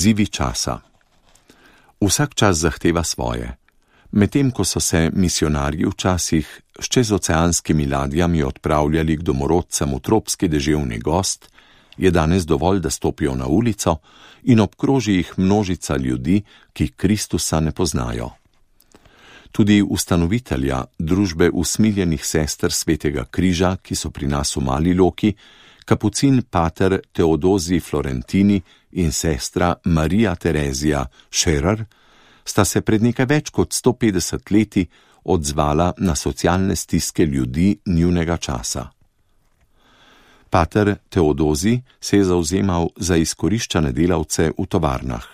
Izzivi časa. Vsak čas zahteva svoje. Medtem ko so se misionarji včasih s čezoceanskimi ladjami odpravljali k domorodcem v tropski deževni gozd, je danes dovolj, da stopijo na ulico in obkroži jih množica ljudi, ki Kristusa ne poznajo. Tudi ustanovitelja družbe usmiljenih sester Svetega križa, ki so pri nas v Mali Loki, kapucin pater Teodozi Florentini in sestra Marija Terezija Scherer, sta se pred nekaj več kot 150 leti odzvala na socialne stiske ljudi njunega časa. Pater Teodozi se je zavzemal za izkoriščane delavce v tovarnah.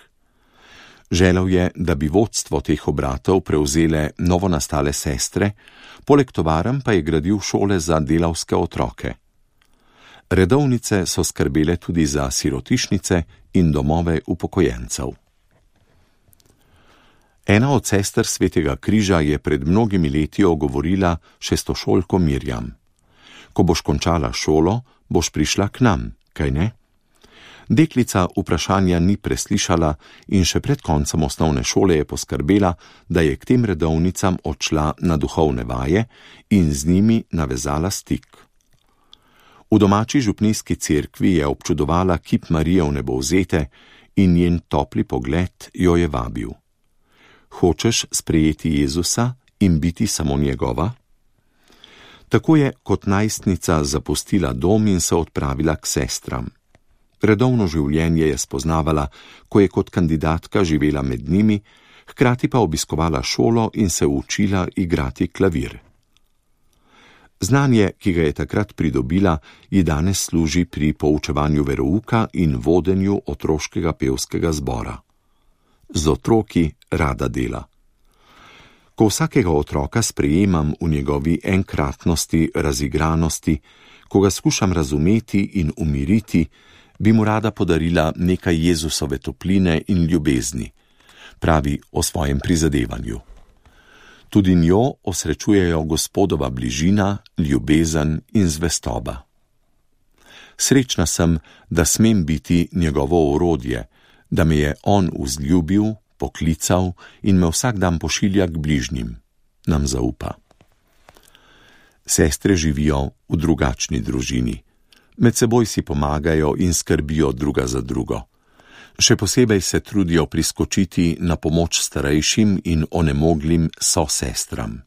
Želel je, da bi vodstvo teh obratov prevzele novonastale sestre, poleg tovarn pa je gradil šole za delavske otroke. Redovnice so skrbele tudi za sirotišnice in domove upokojencev. Ena od sester Svetega križa je pred mnogimi leti ogovorila šestošolko Mirjam. Ko boš končala šolo, boš prišla k nam, kaj ne? Deklica vprašanja ni preslišala in še pred koncem osnovne šole je poskrbela, da je k tem redovnicam odšla na duhovne vaje in z njimi navezala stik. V domači župnijski cerkvi je občudovala kip Marije Vnebovzete in njen topli pogled jo je vabil. Hočeš sprejeti Jezusa in biti samo njegova? Tako je kot najstnica zapustila dom in se odpravila k sestram. Redovno življenje je spoznavala, ko je kot kandidatka živela med njimi, hkrati pa obiskovala šolo in se učila igrati klavir. Znanje, ki ga je takrat pridobila, ji danes služi pri poučevanju verouka in vodenju otroškega pevskega zbora. Z otroki rada dela. Ko vsakega otroka sprejemam v njegovi enkratnosti, razigranosti, ko ga skušam razumeti in umiriti, bi mu rada podarila nekaj Jezusove topline in ljubezni, pravi o svojem prizadevanju. Tudi njo osrečujejo Gospodova bližina, ljubezen in zvestoba. Srečna sem, da smem biti njegovo orodje, da me je on vzljubil, poklical in me vsak dan pošilja k bližnjim, nam zaupa. Sestre živijo v drugačni družini. Med seboj si pomagajo in skrbijo druga za drugo. Še posebej se trudijo priskočiti na pomoč starejšim in onemoglim sosestram.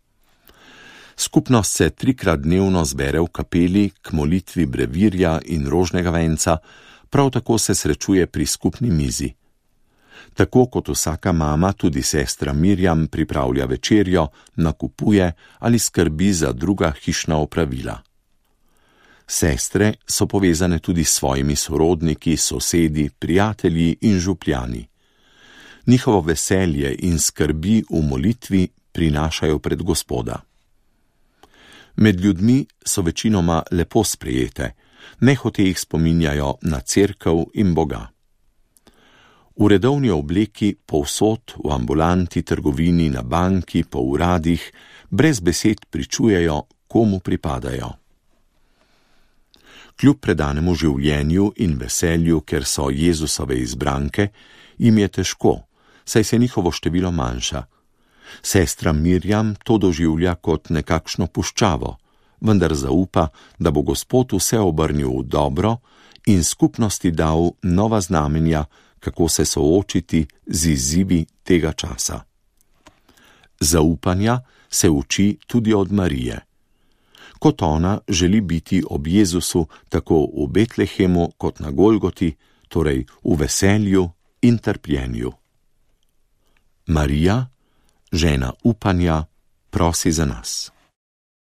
Skupnost se 3-krat dnevno zbere v kapeli k molitvi brevirja in rožnega venca, prav tako se srečuje pri skupni mizi. Tako kot vsaka mama, tudi sestra Mirjam pripravlja večerjo, nakupuje ali skrbi za druga hišna opravila. Sestre so povezane tudi s svojimi sorodniki, sosedi, prijatelji in župljani. Njihovo veselje in skrbi v molitvi prinašajo pred Gospoda. Med ljudmi so večinoma lepo sprejete, nehote jih spominjajo na cerkev in Boga. V redovni obleki povsod, v ambulanti, trgovini, na banki, po uradih, brez besed pričujejo, komu pripadajo. Kljub predanemu življenju in veselju, ker so Jezusove izbranke, jim je težko, saj se njihovo število manjša. Sestra Mirjam to doživlja kot nekakšno puščavo, vendar zaupa, da bo Gospod vse obrnil v dobro in skupnosti dal nova znamenja, kako se soočiti z izzivi tega časa. Zaupanja se uči tudi od Marije. Kot ona želi biti ob Jezusu tako v Betlehemu kot na Golgoti, torej v veselju in trpljenju. Marija, žena upanja, prosi za nas.